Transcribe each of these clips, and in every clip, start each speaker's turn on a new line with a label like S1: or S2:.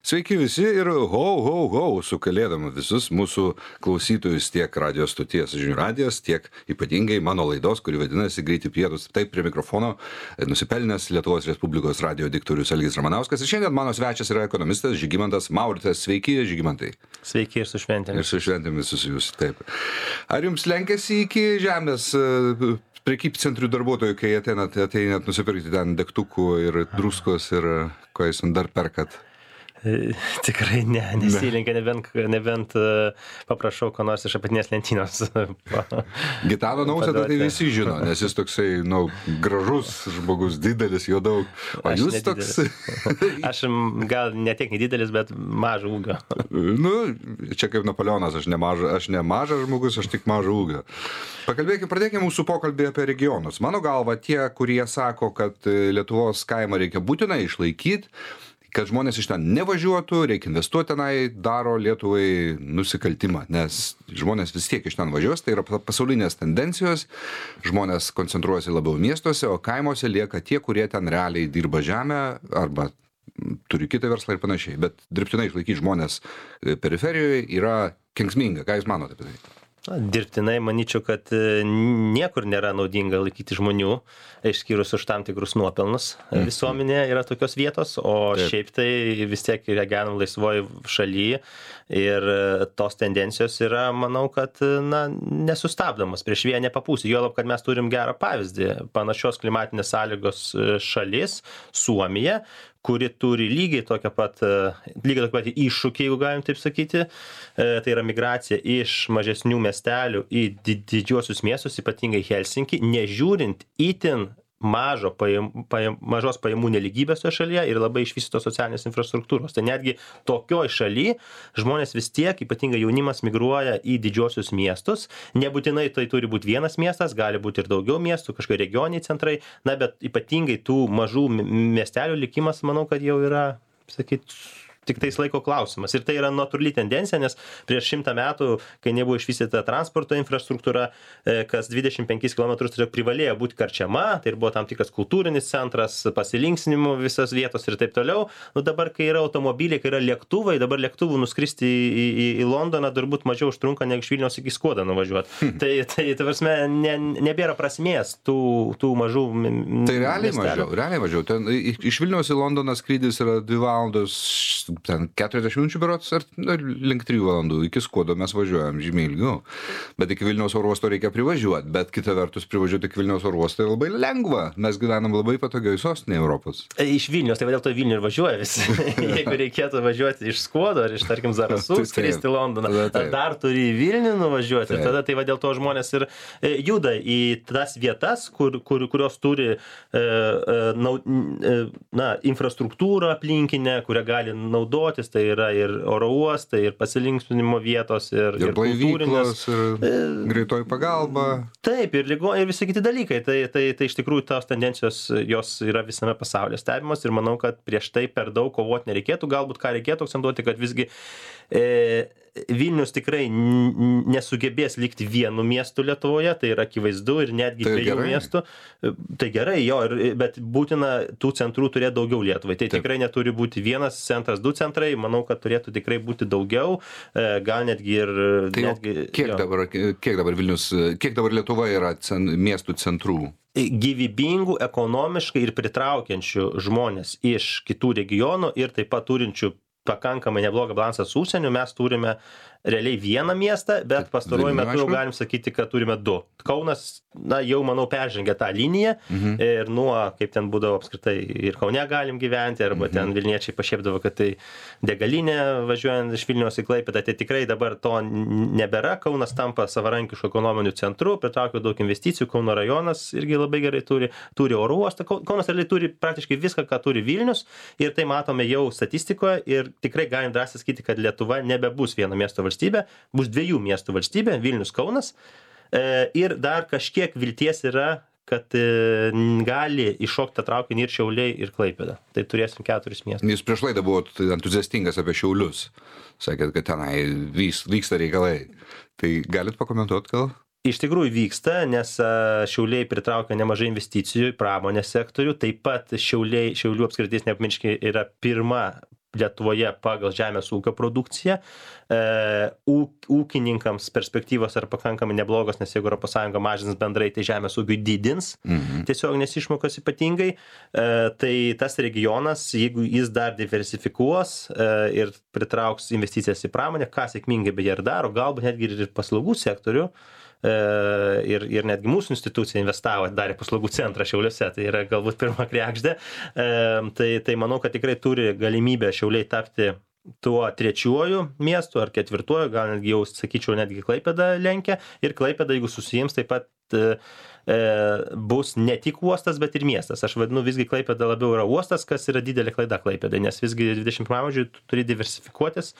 S1: Sveiki visi ir su kalėdom visus mūsų klausytojus tiek radio stoties Žinių radijas, tiek ypatingai mano laidos, kuri vadinasi Greiti pietūs. Taip prie mikrofono nusipelnęs Lietuvos Respublikos radio diktorius Algis Ramanauskas. Ir šiandien mano svečias yra ekonomistas Žygimantas Mauritas. Sveiki, Žygimantai.
S2: Sveiki ir su šventėmis.
S1: Ir su šventėmis visus, taip. Ar jums lenkėsi iki žemės prekybcentrių darbuotojų, kai ateinat nusipirkti ten degtukų ir druskos ir ko jūs dar perkat?
S2: Tikrai nesilenkia, nebent paprašau, ko nors iš apatinės lentynos.
S1: Gitano Nausėdą tai visi žino, nes jis toksai, gražus žmogus, didelis, jo daug. O
S2: Aš
S1: jūs
S2: nedidelis.
S1: toks...
S2: Aš gal ne tiek nedidelis, bet mažo ūgio.
S1: Čia kaip Napoleonas, aš ne mažas žmogus, aš tik mažo ūgio. Pradėkime mūsų pokalbį apie regionus. Mano galva, tie, kurie sako, kad Lietuvos kaimą reikia būtinai išlaikyti, kad žmonės iš ten nevažiuotų, reikia investuoti tenai, daro Lietuvai nusikaltimą, nes žmonės vis tiek iš ten važiuos, tai yra pasaulinės tendencijos, žmonės koncentruojasi labiau miestuose, o kaimuose lieka tie, kurie ten realiai dirba žemę arba turi kitą verslą ir panašiai, bet dirbtinai išlaikyti žmonės periferijoje yra kenksminga. Ką jūs manote apie tai?
S2: Dirbtinai manyčiau, kad niekur nėra naudinga laikyti žmonių, išskyrus už tam tikrus nuopelnus. Visuomenė yra tokios vietos, o
S1: Taip.
S2: šiaip tai vis tiek gyvenam laisvoje šalyje ir tos tendencijos yra, manau, kad nesustabdomos, prieš vėją nepapūsi. Juolab, kad mes turim gerą pavyzdį. Panašios klimatinės sąlygos šalis, Suomija, kuri turi lygiai tokį pat iššūkį, jeigu galim taip sakyti. Tai yra migracija iš mažesnių miestelių į didžiuosius miestus, ypatingai Helsinkį, nežiūrint itin mažos pajamų nelygybės toje šalyje ir labai išvystytos socialinės infrastruktūros. Tai netgi tokioj šaly žmonės vis tiek, ypatingai jaunimas, migruoja į didžiosius miestus. Nebūtinai tai turi būti vienas miestas, gali būti ir daugiau miestų, kažkokie regioniniai centrai, bet ypatingai tų mažų miestelių likimas, manau, kad jau yra, tik tais laiko klausimas. Ir tai yra natūrali tendencija, nes prieš 100 metų, kai nebuvo išvystyta transporto infrastruktūra, kas 25 km tiesiog privalėjo būti karčiama, tai ir buvo tam tikras kultūrinis centras, pasilinksminimo visas vietos ir taip toliau. Dabar, kai yra automobiliai, kai yra lėktuvai, dabar lėktuvų nuskristi į Londoną turbūt mažiau užtrunka, negu iš Vilniaus iki Skuodo nuvažiuoti. Tai prasme, nebėra prasmės tų mažų
S1: Tai realiai mažiau. Ten, iš Vilniaus į Londoną skrydis yra 2 valandos, ten 40 minučių berods, ar link 3 valandų. Iki Skuodo mes važiuojam žymiai ilgiau. Bet iki Vilniaus oro uosto reikia privažiuoti. Bet kita vertus, privažiuoti iki Vilniaus oro uosto yra labai lengva. Mes gyvenam labai patogiai sostinėje Europos.
S2: Iš Vilniaus, tai dėl to Vilnių ir važiuoja visi. Jeigu reikėtų važiuoti iš Skuodo ar iš, tarkim, Zarasų, skristi į Londoną, dar turi į Vilnių nuvažiuoti. Ir tada tai dėl to žmonės ir juda į tas vietas, kurios turi infrastruktūrą aplinkinę, kurią gali naudotis, tai yra ir oro uostai, ir pasilinksminimo vietos, ir
S1: kultūrinės, ir greitoji pagalba.
S2: Taip, ir visi kiti dalykai. Tai iš tikrųjų tos tendencijos, jos yra visame pasaulyje stebimos ir manau, kad prieš tai per daug kovoti nereikėtų. Galbūt ką reikėtų akcentuoti, kad visgi Vilnius tikrai nesugebės likti vienu miestu Lietuvoje, tai yra akivaizdu, ir netgi 2 miestų. Tai gerai, bet būtina tų centrų turėti daugiau Lietuvai. Tai tikrai neturi būti vienas centras, 2 centrai, manau, kad turėtų tikrai būti daugiau, gal netgi ir...
S1: Kiek dabar Vilnius, kiek dabar Lietuvoje yra miestų centrų?
S2: Gyvybingų, ekonomiškai ir pritraukiančių žmonės iš kitų regionų ir taip pat turinčių pakankamai neblogą balansą su užsieniu, mes turime realiai vieną miestą, bet pastaruoju metu jau galim sakyti, kad turime 2. Kaunas, jau manau, peržengia tą liniją ir nuo, kaip ten būdavo apskritai, ir Kaune galim gyventi, arba ten Vilniečiai pašiepdavo, kad tai degalinė važiuojant iš Vilniaus į Klaipėdą, tai tikrai dabar to nebėra. Kaunas tampa savarankišku ekonominiu centru, pritraukia daug investicijų, Kauno rajonas irgi labai gerai turi oro uostą. Kaunas realiai turi praktiškai viską, ką turi Vilnius, ir tai matome jau statistikoje, ir tikrai galim drąsiai sakyti, kad Lietuva nebebus vieno miesto valstybė, bus 2 miestų valstybė, Vilnius, Kaunas, ir dar kažkiek vilties yra, kad gali iššokti traukinį ir Šiauliai, ir Klaipėda. Tai turėsim 4 miestus.
S1: Jūs prieš laidą buvot entuziastingas apie Šiaulius. Sakėt, kad tenai vyksta reikalai. Tai galit pakomentuoti gal?
S2: Iš tikrųjų vyksta, nes Šiauliai pritraukia nemažai investicijų į pramonės sektorių. Taip pat Šiaulių apskritis, nepamirškime, yra pirma Lietuvoje pagal žemės ūkio produkciją. Ūkininkams perspektyvos yra pakankamai neblogos, nes jeigu ES mažins bendrai, tai žemės ūkiui didins tiesioginės išmokas ypatingai. Tai tas regionas, jeigu jis dar diversifikuos ir pritrauks investicijas į pramonę, ką sėkmingai beje ir daro, galbūt netgi ir paslaugų sektorių, ir netgi mūsų institucija investavo, darė paslaugų centrą Šiauliuose, tai yra galbūt pirma kregždė, tai manau, kad tikrai turi galimybę Šiauliai tapti tuo trečiuoju miestu ar ketvirtuoju, gal netgi jau sakyčiau, netgi Klaipėda lenkia, ir Klaipėda, jeigu susijims, taip pat bus ne tik uostas, bet ir miestas. Aš vadinu, visgi Klaipėda labiau yra uostas, kas yra didelė klaida Klaipėdai, nes visgi 21 amžiuje turi diversifikuotis,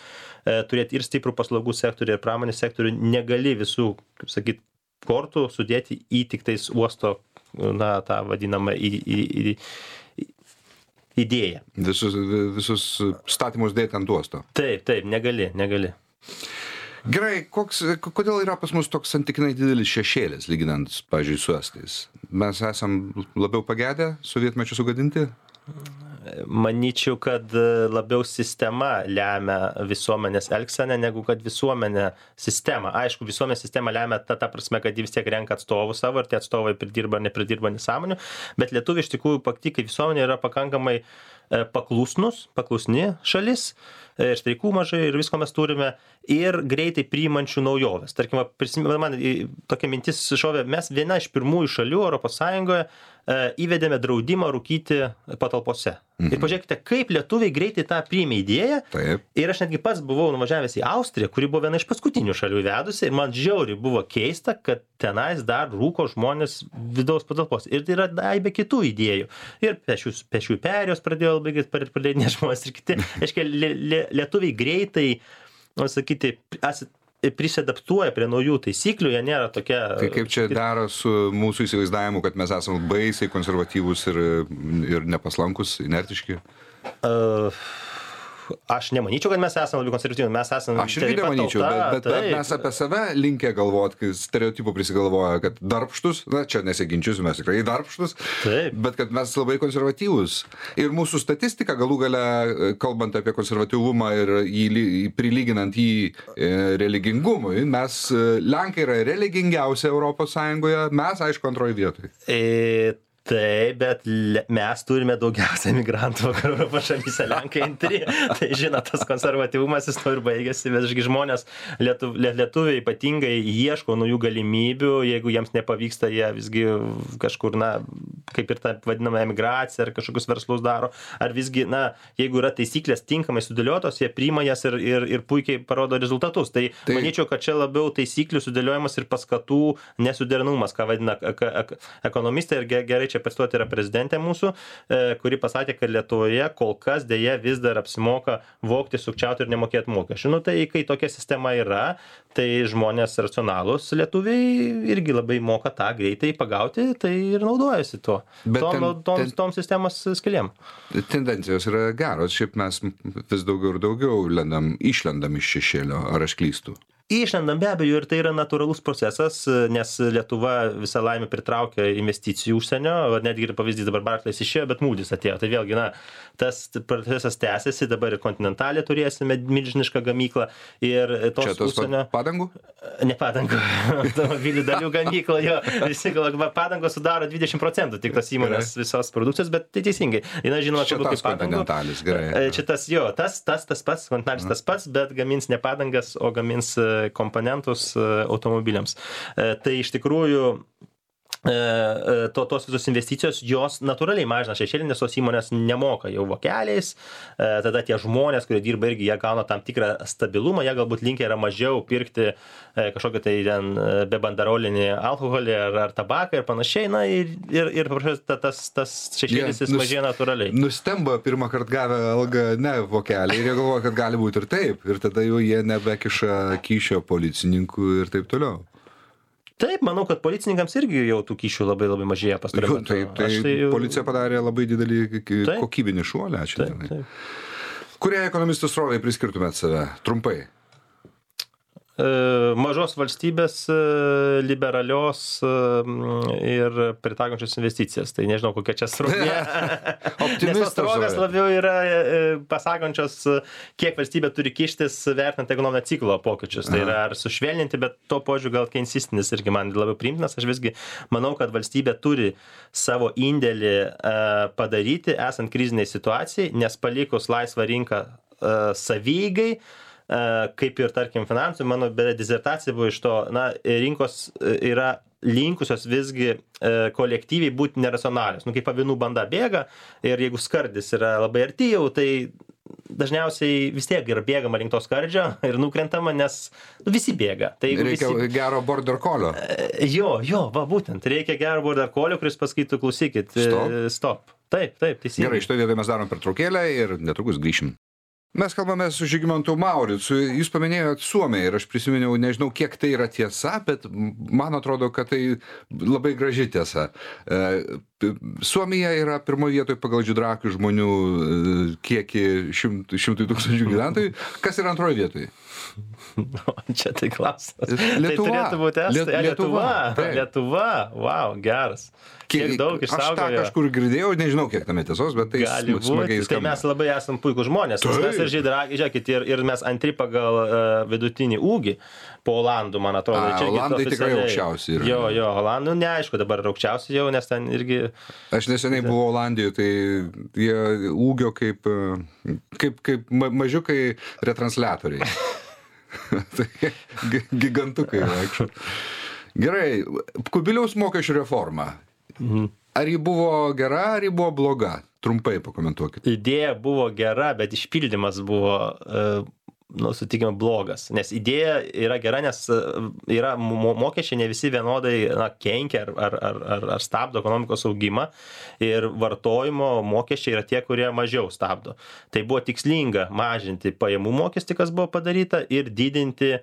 S2: turėti ir stiprų paslaugų sektorių, ir pramonės sektorių, negali visų, kaip sakyt, kortų sudėti į tik tais uosto, na, tą vadinamą idėją.
S1: Visus statymus dėti ant uosto.
S2: Taip, negali.
S1: Gerai, kodėl yra pas mus toks santykinai didelis šešėlis, lyginant, pavyzdžiui, su estais? Mes esam labiau pagedę sovietmečiu sugadinti?
S2: Manyčiau, kad labiau sistema lemia visuomenės elgseną, negu kad visuomenė sistema. Aišku, visuomenės sistema lemia ta prasme, kad jie vis tiek renka atstovų savo ir tie atstovai pridirba ar nepridirba nesąmonių, bet lietuviai iš tikrųjų pati kaip visuomenė yra pakankamai paklusni šalis, streikų mažai ir visko mes turime, ir greitai priimančių naujoves. Tarkim, man tokia mintis šovė, mes viena iš pirmųjų šalių ES įvedėme draudimą rūkyti patalpose. Ir pažiūrėkite, kaip lietuviai greitai tą priėmė idėją.
S1: Taip.
S2: Ir aš netgi pats buvau nuvažiavęs į Austriją, kuri buvo viena iš paskutinių šalių įvedusi, ir man žiauriai buvo keista, kad tenais dar rūko žmonės vidaus patalpos. Ir tai yra daibė kitų idėjų. Ir pešių perėjos pradėjo labai pradėti žmonės ir kiti. Aiškiai, lietuviai greitai, sakyti, prisidaptuoja prie naujų taisyklių, jie nėra tokia...
S1: Tai kaip čia daro su mūsų įsivaizdavimu, kad mes esame baisiai konservatyvūs ir nepaslankus, inertiški?
S2: Aš nemanyčiau, kad mes esame labai konservatyvūs, mes esame...
S1: Aš irgi nemanyčiau, bet mes apie save linkę galvoti, kai stereotipų prisigalvoja, kad darbštus, na čia nesiginčiusiu, mes tikrai darbštus, bet kad mes labai konservatyvūs. Ir mūsų statistika, galų gale, kalbant apie konservatyvumą ir prilyginant jį religingumui, mes, Lenkai yra religingiausia Europos Sąjungoje, mes, aišku, antroji vietoj.
S2: Taip, bet mes turime daugiausia migrantų vakarų Europos šalyse, Lenkai antri. Tai žinot, tas konservatyvumas jis to ir baigėsi, bet žmonės, lietuviai ypatingai ieško naujų galimybių, jeigu jiems nepavyksta, jie visgi kažkur, na, kaip ir ta vadinama emigracija, ar kažkokius verslus daro, ar visgi, na, jeigu yra taisyklės tinkamai sudėliotos, jie priima jas ir puikiai parodo rezultatus. Tai manyčiau, kad čia labiau taisyklių sudėliojimas ir paskatų nesuderinamumas, ką vadina ekonomistai, ir gerai čia pacituoti yra prezidentė mūsų, kuri pasakė, kad Lietuvoje kol kas dėja vis dar apsimoka vogti, sukčiauti ir nemokėti mokesčių. Nu, tai kai tokia sistema yra, tai žmonės racionalūs lietuviai irgi labai moka tą greitai pagauti, tai ir naudojasi tuo. Tom sistemos skilėm.
S1: Tendencijos yra geros, šiaip mes vis daugiau ir daugiau išlendam iš šešėlio, ar aš klystu?
S2: Išlendam be abejo, ir tai yra natūralus procesas, nes Lietuva visą laimę pritraukia investicijų užsienio, netgi ir pavyzdys dabar Barclays išėjo, bet Moody's atėjo. Tai vėlgi, na, tas procesas tęsiasi, dabar ir Kontinentalė turėsime milžinišką gamyklą ir tos užsienio...
S1: Čia padangų?
S2: Ne padangų, automobilių dalių gamyklą, jo, visi galva, padangos sudaro 20% tik tos įmonės visos produkcijos, bet tai teisingai. Na, žinoma,
S1: čia tas Kontinentalis, gerai.
S2: Čia tas, jo, tas pats, Kontinentalis tas pats, bet gamins ne padangas, o gamins komponentus automobiliams. Tai iš tikrųjų tos visos investicijos, jos natūraliai mažina šešėlį, nes tos įmonės nemoka jau vokeliais, tada tie žmonės, kurie dirba irgi, jie gauna tam tikrą stabilumą, jie galbūt linkę yra mažiau pirkti kažkokį tai ten bebandarolinį alkoholį ar tabaką ir panašiai, na ir tas šešėlis jis mažėja natūraliai.
S1: Nustemba pirmą kartą gavę algą ne vokelį ir jie galvoja, kad gali būti ir taip, ir tada jau jie nebekiša kyšio policininkų ir taip toliau.
S2: Taip, manau, kad policininkams irgi jau tų kyšių labai mažėja pastaruoju metu.
S1: Tai policija padarė labai didelį kokybinį šuolį.
S2: Taip.
S1: Kurie ekonomistų srovai priskirtumėt save? Trumpai.
S2: mažos valstybės, liberalios ir pritaikančios investicijas. Tai nežinau, kokia čia srovė. Nes tos srovės labiau yra pasakančios, kiek valstybė turi kištis vertinant ekonominio ciklo pokyčius. Tai yra ar sušvelninti, bet to požiūriu gal keinsistinis irgi man labiau priimtinas. Aš visgi manau, kad valstybė turi savo indėlį padaryti, esant kriziniai situacijai, nes palikus laisvą rinką savygai, kaip ir, tarkim, finansų, mano disertacija buvo iš to, rinkos yra linkusios visgi kolektyviai būti neracionalios. Kaip avinų banda bėga ir jeigu skardis yra labai arti jau, tai dažniausiai vis tiek yra bėgama link to skardžio ir nukrentama, nes visi bėga. Tai
S1: reikia gero border colio.
S2: Va, būtent. Reikia gero border colio, kuris pasakytų, klausykit, stop. Taip, teisingai.
S1: Gerai, šitoje vietoje mes darom pertraukėlę ir netrukus grįšim. Mes kalbame su Žygimantu Mauricu. Jūs paminėjot Suomiją ir aš prisiminiau, nežinau, kiek tai yra tiesa, bet man atrodo, kad tai labai graži tiesa. Suomija yra pirmoje vietoje pagal žydrakių žmonių kiekį 100 000 gyventojų. Kas yra antroje vietoje?
S2: Čia tai klausimas.
S1: Lietuva.
S2: Tai turėtų būti Lietuva. Wow, geras. Kiek daug išsaugojo.
S1: Aš tą kažkur girdėjau, nežinau, kiek tame tiesos, bet tai smagiai skamba.
S2: Tai mes labai esam puikūs žmonės. Mes ir žydrakiai, žiūrėkit, ir mes antri pagal vidutinį ūgį po Olandų, man atrodo.
S1: Olandai tikrai aukščiausi yra.
S2: Jo, Olandų neaišku, dabar aukščiausi jau, nes ten irgi...
S1: Aš neseniai buvau Olandijoje, tai jie ūgio kaip mažiukai retransliatoriai. Tai gigantukai vaikščio. Gerai, Kubiliaus mokesčių reforma. Ar ji buvo gera, ar ji buvo bloga? Trumpai pakomentuokit.
S2: Idėja buvo gera, bet išpildymas buvo, sutikime, blogas. Nes idėja yra gera, nes yra mokesčiai ne visi vienodai kenkia ar stabdo ekonomikos augimą ir vartojimo mokesčiai yra tie, kurie mažiau stabdo. Tai buvo tikslinga mažinti pajamų mokestį, kas buvo padaryta, ir didinti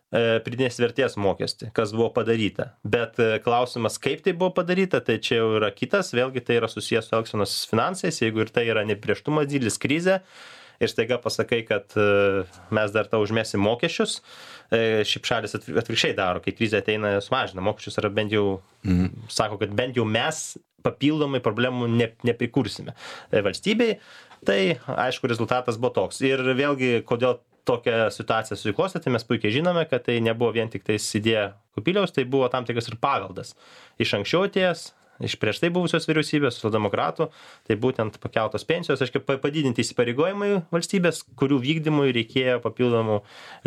S2: pridėtinės vertės mokestį, kas buvo padaryta. Bet klausimas, kaip tai buvo padaryta, tai čia jau yra kitas, vėlgi tai yra susijęs su elgsenos finansais, jeigu ir tai yra neprieštumas, didelis krizė, ir staiga pasakai, kad mes dar tau užmėsim mokesčius, šiaip šalis atvirkščiai daro, kai krizė ateina, sumažina mokesčius, ar bent jau sako, kad bent jau mes papildomai problemų neprikursime valstybei, tai aišku, rezultatas buvo toks. Ir vėlgi, kodėl tokią situaciją susiklostė, tai mes puikiai žinome, kad tai nebuvo vien tik tais idėja Kubiliaus, tai buvo tam tikras ir paveldas. Iš anksčiau atėjęs, iš prieš tai buvusios vyriausybės, socialdemokratų, tai būtent pakeltos pensijos, padidinti įsipareigojimai valstybės, kurių vykdymui reikėjo papildomų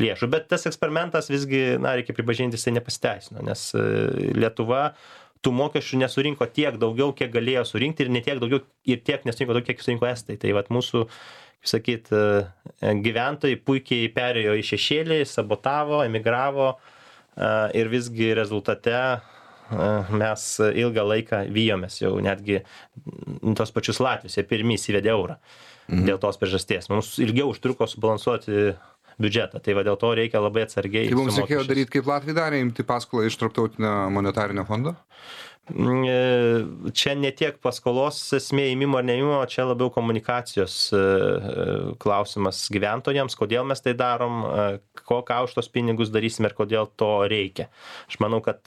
S2: lėšų. Bet tas eksperimentas visgi, reikia pripažinti, jisai nepasiteisino, nes Lietuva tų mokesčių nesurinko tiek daugiau, kiek galėjo surinkti, ir ne tiek daugiau, ir tiek nesurinko daugiau, kiek surinko estai. Tai mūsų, gyventojai puikiai perėjo į šešėlį, sabotavo, emigravo, ir visgi rezultate mes ilgą laiką vijomės, jau netgi tos pačius Latvius, jie pirmi įsivedė eurą dėl tos priežasties. Mums ilgiau užtruko subalansuoti biudžetą, tai dėl to reikia labai atsargiai.
S1: Tai mums reikėjo daryti, kaip Latvija darė, imti paskolą iš Tarptautinio monetarinio fondo?
S2: Čia ne tiek paskolos esmė ėmimo ar neėmimo, čia labiau komunikacijos klausimas gyventojams, kodėl mes tai darom, ką už tos pinigus darysime ir kodėl to reikia. Aš manau, kad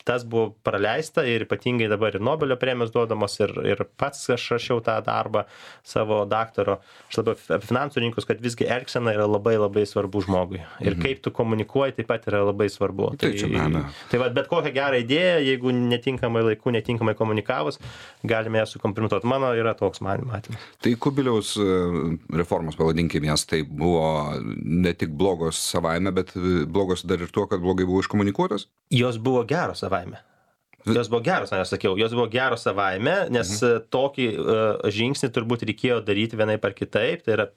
S2: tas buvo praleista, ir ypatingai dabar ir Nobelio premijos duodamos, ir pats aš rašiau tą darbą savo daktaro, aš labiau apie finansų rinkus, kad visgi elgsena yra labai labai svarbu žmogui. Ir kaip tu komunikuoji, taip pat yra labai svarbu. Tai bet kokią gerą idėją, jeigu netinkamai laiku, netinkamai komunikavus, galime ją sukompromituoti. Mano yra toks matymas.
S1: Tai Kubiliaus reformos, pavadinkime jas, tai buvo ne tik blogos savaime, bet blogos dar ir tuo, kad blogai buvo iškomunikuotas?
S2: Jos buvo geros savaime. Jos buvo geros savaime, nes tokį žingsnį turbūt reikėjo daryti vienaip ar kitaip, tai yra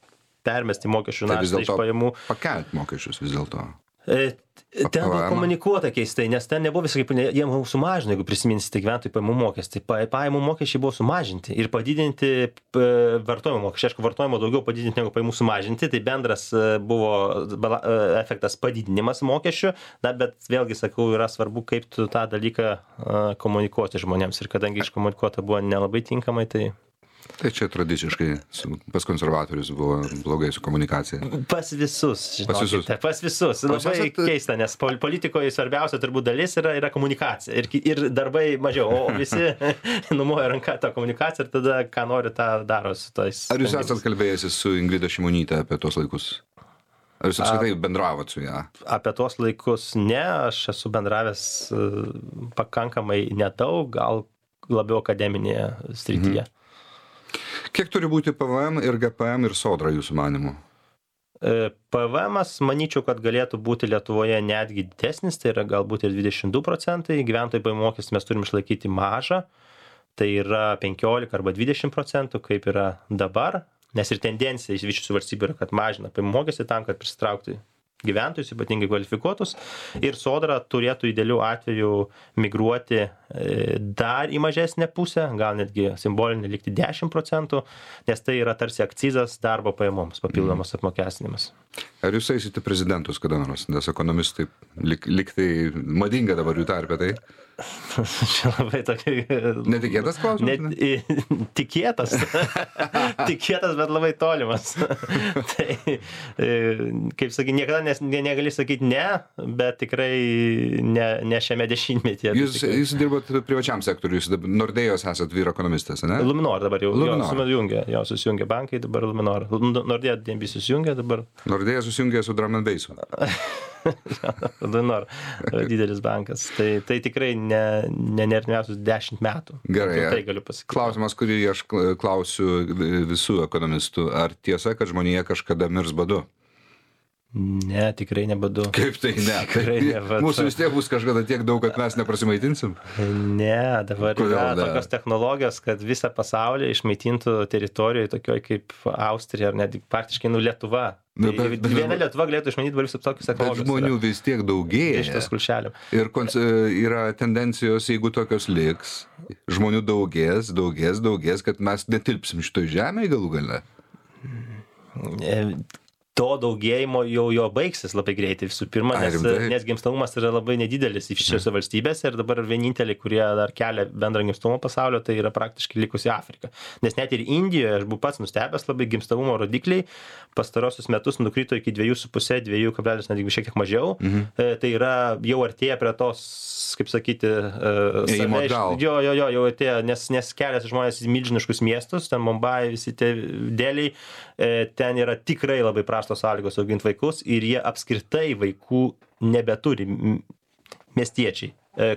S2: permesti mokesčių naštą iš pajamų.
S1: Pakelti mokesčius vis dėlto.
S2: Ten buvo komunikuota keistai, nes ten nebuvo visai, jie sumažino, jeigu prisiminsite, gyventojų pajamų mokestį. Pajamų mokesčiai buvo sumažinti ir padidinti vartojimo mokesčiai. Aišku, vartojimo daugiau padidinti negu pajamų sumažinti, tai bendras buvo efektas padidinimas mokesčių, bet vėlgi sakau, yra svarbu, kaip tu tą dalyką komunikuoti žmonėms, ir kadangi iškomunikuota buvo nelabai tinkamai, tai...
S1: Tai čia tradiciškai pas konservatorius buvo blogai su komunikacija.
S2: Pas visus, žinokite. Pas visus. Labai keista, nes politikoje svarbiausia turbūt dalis yra komunikacija. Ir darbai mažiau, o visi numoja ranką tą komunikaciją ir tada, ką nori, tą daro su tais.
S1: Ar jūs esat kalbėjęs su Ingrida Šimonyte apie tos laikus? Ar jūs apskritai bendravot su ją?
S2: Apie tuos laikus ne, aš esu bendravęs pakankamai nedaug, gal labiau akademinėje srityje.
S1: Kiek turi būti PVM ir GPM ir sodra jūsų manymu?
S2: PVM-as manyčiau, kad galėtų būti Lietuvoje netgi didesnis, tai yra galbūt ir 22%, gyventojų pajamų mokestį mes turim išlaikyti mažą, tai yra 15 arba 20%, kaip yra dabar. Nes ir tendencija išsivyščiusių valstybių yra, kad mažina pajamų mokestį tam, kad pritraukti gyventojus, ypatingai kvalifikuotus. Ir sodra turėtų idealiu atveju migruoti dar į mažesnę pusę, gal netgi simbolinį likti 10%, nes tai yra tarsi akcizas darbo pajamoms, papildomas apmokestinimas.
S1: Ar jūs eisite prezidentus kada nors, nes ekonomistai liktai madinga dabar jų tarpe tai?
S2: Čia labai tokia...
S1: Netikėtas klausimas?
S2: Tikėtas. Tikėtas, bet labai tolimas. Tai, kaip sakyti, niekada negali sakyti ne, bet tikrai ne šiame dešimtmetyje.
S1: Jūs dirbot privačiam sektoriui, jūs Nordėjos esat vyr ekonomistas, ne?
S2: Luminor dabar jau susijungia bankai, dabar Luminor. Nordėja DNB susijungia dabar.
S1: Nordėja susijungia su Drum & Bassu.
S2: Luminor, didelis bankas. Tai tikrai ne artimiausius 10 metų.
S1: Gerai,
S2: tai galiu pasakyti.
S1: Klausimas, kurį aš klausiu visų ekonomistų. Ar tiesa, kad žmonija kažkada mirs badu?
S2: Ne, tikrai ne badu.
S1: Kaip tai ne?
S2: Tikrai ne badu.
S1: Mūsų vis tiek bus kažkada tiek daug, kad mes neprasimaitinsim?
S2: Ne, dabar yra tokios technologijos, kad visą pasaulį išmaitintų teritorijoje tokioje kaip Austrija ar net praktiškai Lietuva. Viena Lietuva galėtų išmanyti visus tokius technologijos.
S1: Bet žmonių vis tiek daugėja.
S2: Iš tos kulšelių.
S1: Ir yra tendencijos, jeigu tokios liks, žmonių daugės, kad mes netilpsim šitoj žemėje galų gale.
S2: To daugėjimo jau jo baigsis labai greitai visų pirma, nes gimstamumas yra labai nedidelis šiose valstybėse ir dabar vieninteliai, kurie dar kelia bendrą gimstamumą pasaulio, tai yra praktiškai likusi Afrika. Nes net ir Indijoje, aš buvau pats nustebęs, labai gimstamumo rodikliai pastarosius metus nukrito iki 2,5, 2,5, netgi šiek tiek mažiau. Tai yra jau artėja prie tos, kaip sakyti, jau artėja, nes keliasi žmonės į milžiniškus miestus, ten Mumbai, visi tie dėliai, ten yra tikrai labai prastos sąlygos auginti vaikus ir jie apskritai vaikų nebeturi miestiečiai.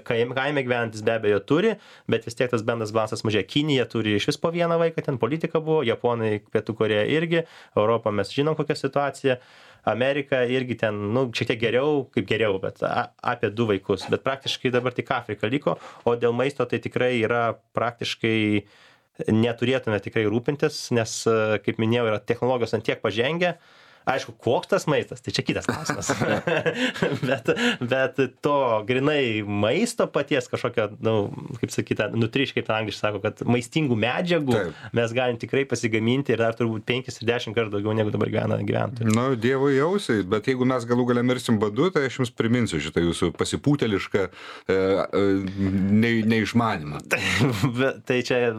S2: Kaime gyvenantis be abejo turi, bet vis tiek tas bendras balansas mažėja. Kinija turi iš vis po vieną vaiką, ten politika buvo, Japonai, Pietų Korėja irgi, Europą mes žinom kokią situaciją, Amerika irgi ten, šiek tiek geriau, bet apie 2 vaikus. Bet praktiškai dabar tik Afrika liko, o dėl maisto tai tikrai yra praktiškai neturėtume tikrai rūpintis, nes, kaip minėjau, yra technologijos ant tiek pažengę. Aišku, koks tas maistas, tai čia kitas klausimas. bet to grinai maisto paties kažkokio, kaip sakyta, nutriš, kaip angliškai sako, kad maistingų medžiagų mes galim tikrai pasigaminti ir dar turbūt 5 ir 10 kartų daugiau negu dabar gyvena gyventojai.
S1: Dievui jausiai, bet jeigu mes galų gale mirsim badu, tai aš jums priminsiu šitą jūsų pasipūtelišką neišmanimą.
S2: Tai čia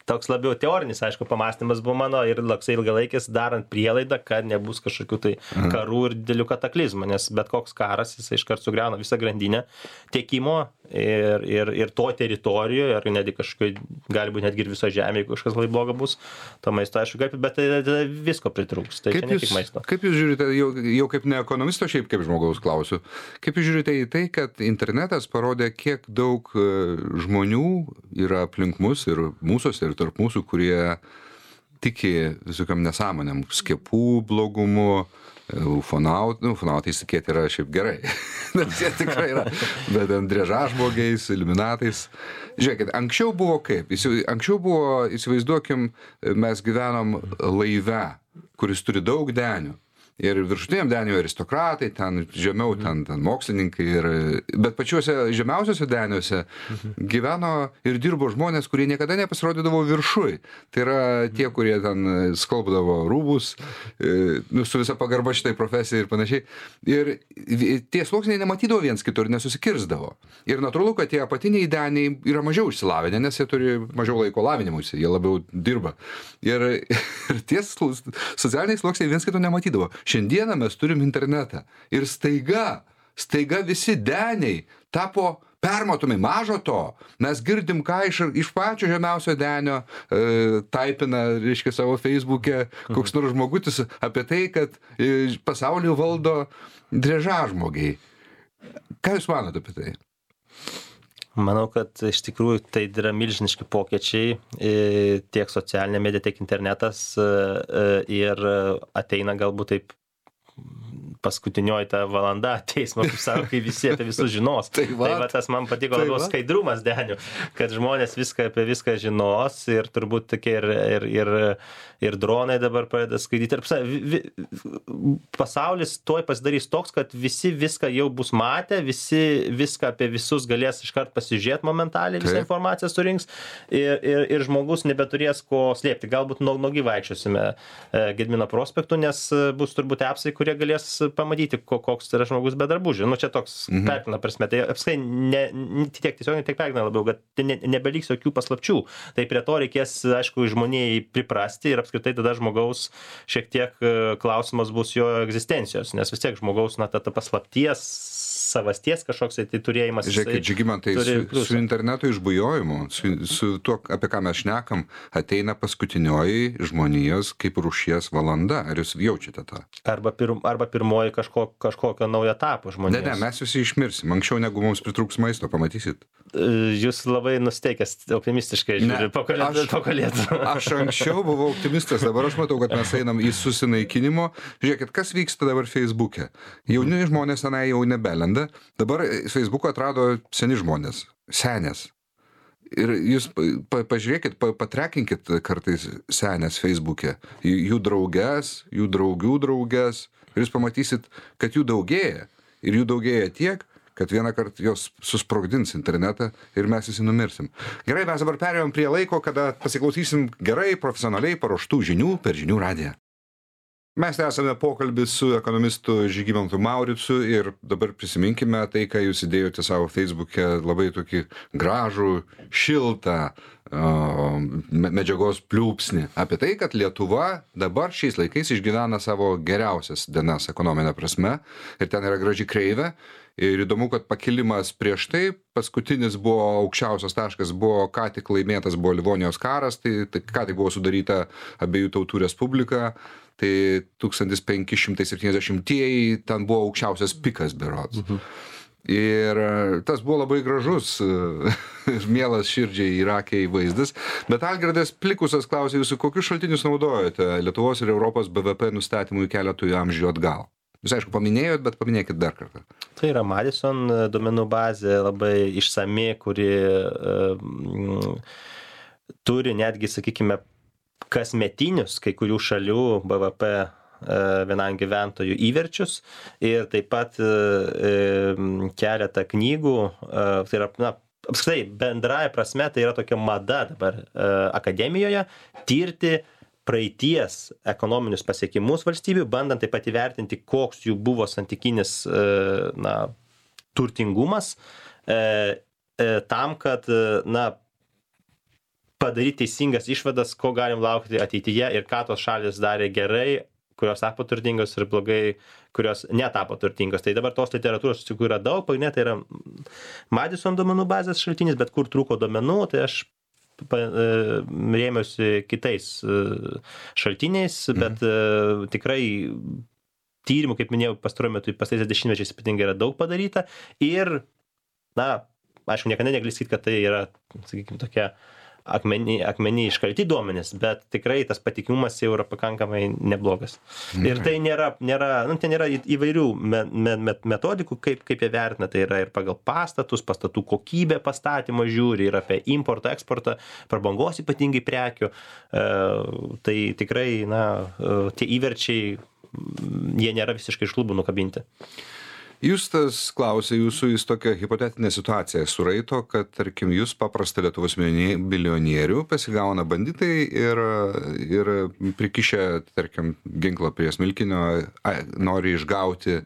S2: toks labiau teorinis, aišku, pamąstymas buvo mano ir toksai ilgalaikis, darant prielaidą, kad nebus kažkokių tai karų ir didelių kataklizmų, nes bet koks karas, jis iškart sugriauna visą grandinę tiekimo ir to teritorijoje, ar netgi kažkokiai, gali būti netgi ir viso žemė, jeigu kažkas labai bloga bus, to maisto, aišku, bet tai visko pritrūks, tai čia ne tik maisto.
S1: Kaip jūs žiūrite, jau kaip ne ekonomisto, šiaip kaip žmogaus klausiu, kaip jūs žiūrite į tai, kad internetas parodė, kiek daug žmonių yra aplink mus ir mūsųse ir tarp mūsų, kurie tiki visokiam nesąmonėm, skiepų blogumu, ufonautai tikėti yra šiaip gerai, nes jie tikrai yra, bet driežažmogiais, iliuminatais. Žiūrėkit, anksčiau buvo kaip? Anksčiau buvo, įsivaizduokim, mes gyvenom laive, kuris turi daug denių. ir viršutiniam deniui aristokratai, ten žemiau ten mokslininkai, bet pačiuose žemiausiuose deniuose gyveno ir dirbo žmonės, kurie niekada nepasirodydavo viršui. Tai yra tie, kurie ten skalbdavo rūbus, su visa pagarba šitai profesijai ir panašiai. Ir tie sluoksniai nematydavo viens kitur, nesusikirzdavo. Ir natūralu, kad tie apatiniai deniai yra mažiau išsilavinę, nes jie turi mažiau laiko lavinimuisi, jie labiau dirba. Ir tie socialiniai sluoksniai viens kito nematydavo. Šiandieną mes turim internetą. Ir staiga visi deniai tapo permatomi. Mažo to, mes girdim, ką iš pačio žemiausio denio taipina, reiškia, savo Facebook'e koks nors žmogutis apie tai, kad pasaulį valdo driežažmogiai. Ką Jūs manote apie tai?
S2: Manau, kad iš tikrųjų tai yra milžiniški pokyčiai tiek socialinė medija, tiek internetas ir ateina galbūt taip paskutinioji ta valanda teismo, kaip sako, kai visi apie visus žinos. Tai va tas man patiko labiau skaidrumas denių, kad žmonės apie viską žinos ir turbūt tokie ir dronai dabar pradeda skaidyti. Pasaulis tuoj pasidarys toks, kad visi viską jau bus matę, visi viską apie visus galės iškart pasižiūrėti momentaliai, visą informaciją surinks ir žmogus nebeturės ko slėpti. Galbūt nuogi vaikščiosime Gedimino prospektu, nes bus turbūt apsai, kurie galės pamatyti, koks yra žmogus be drabužių. Nu, čia toks perkina prasme. Tai apskai tiek tiesiogiai, tiek perkina labiau, kad nebeliks jokių paslapčių. Tai prie to reikės, aišku, žmonijai priprasti ir apskritai tada žmogaus šiek tiek klausimas bus jo egzistencijos, nes vis tiek žmogaus, ta paslapties, savasties kažkoks tai turėjimas.
S1: Žiūrėkit, Žygimantai, su interneto išbujojimu, su tuo, apie ką mes šnekam, ateina paskutinioji žmonijos kaip rūšies valanda. Ar Jūs jaučiate tą?
S2: Arba pirmoji kažkokio naujo etapo žmonijos.
S1: Ne, mes visi išmirsim. Anksčiau negu mums pritrūks maisto, pamatysit.
S2: Jūs labai nusteikęs optimistiškai žiūri po kalėdų.
S1: Aš anksčiau buvau optimistas, dabar aš matau, kad mes einam į susinaikinimo. Žiūrėkit, kas vyksta dabar Facebook'e. Jauni žmonės tenai jau nebelenda. Dabar Facebook'ą atrado seni žmonės. Senės. Ir jūs pažiūrėkit, patrekinkit kartais senės Facebook'e. Jų drauges, jų draugių drauges. Ir jūs pamatysit, kad jų daugėja. Ir jų daugėja tiek, kad vieną kartą jos susprogdins internetą ir mes visi numirsim. Gerai, mes dabar perėjom prie laiko, kada pasiklausysim gerai, profesionaliai paruoštų žinių per Žinių radiją. Mes esame pokalbį su ekonomistu Žygimantu Mauricu ir dabar prisiminkime tai, ką Jūs įdėjote savo Facebook'e, labai tokį gražų, šiltą medžiagos pliūpsnį apie tai, kad Lietuva dabar šiais laikais išgyvena savo geriausias dienas ekonominė prasme ir ten yra graži kreivė. Ir įdomu, kad pakilimas prieš tai, paskutinis buvo aukščiausias taškas, buvo ką tik laimėtas buvo Livonijos karas, tai ką tik buvo sudaryta Abiejų tautų respublika, tai 1570-ieji ten buvo aukščiausias pikas berods. Ir tas buvo labai gražus ir mielas širdžiai ir akiai vaizdas. Bet Algirdas Plikusas klausė Jūsų, kokius šaltinius naudojate Lietuvos ir Europos BVP nustatymui keletui amžių atgal? Jūs aišku paminėjot, bet paminėkit dar kartą.
S2: Tai yra Madison duomenų bazė labai išsami, kuri turi netgi, sakykime, kasmetinius kai kurių šalių BVP vienam gyventojų įverčius ir taip pat keletą knygų, tai yra, apskritai, bendraja prasme, tai yra tokia mada dabar akademijoje tirti praeities ekonominius pasiekimus valstybių, bandant taip pat įvertinti, koks jų buvo santykinis turtingumas, tam, kad padaryti teisingas išvadas, ko galim laukti ateityje ir ką tos šalis darė gerai, kurios tapo turtingos ir blogai, kurios netapo turtingos. Tai dabar tos literatūros yra daug, pagrindinė tai yra Madison duomenų bazės šaltinis, bet kur trūko duomenų, tai aš rėmiausi kitais šaltiniais, bet tikrai tyrimų, kaip minėjau, pastaruoju metu pastaisiais dešimtmečiais ypatingai yra daug padaryta ir, aišku, niekada negali sakyti, kad tai yra, sakykime, tokia akmeny iškalti duomenys, bet tikrai tas patikimumas jau yra pakankamai neblogas. Ir tai ten yra įvairių metodikų, kaip jie vertina, tai yra ir pagal pastatų kokybę pastatymo žiūri, ir apie importą, eksportą, prabangos ypatingai prekių. Tai tikrai, tie įverčiai, jie nėra visiškai iš lubų nukabinti.
S1: Justas klausė jūsų, jis tokią hipotetinę situaciją suraito, kad, tarkim, jūs paprastą Lietuvos milijonierių pasigauna banditai ir prikišę, tarkim, ginklą prie smilkinio, nori išgauti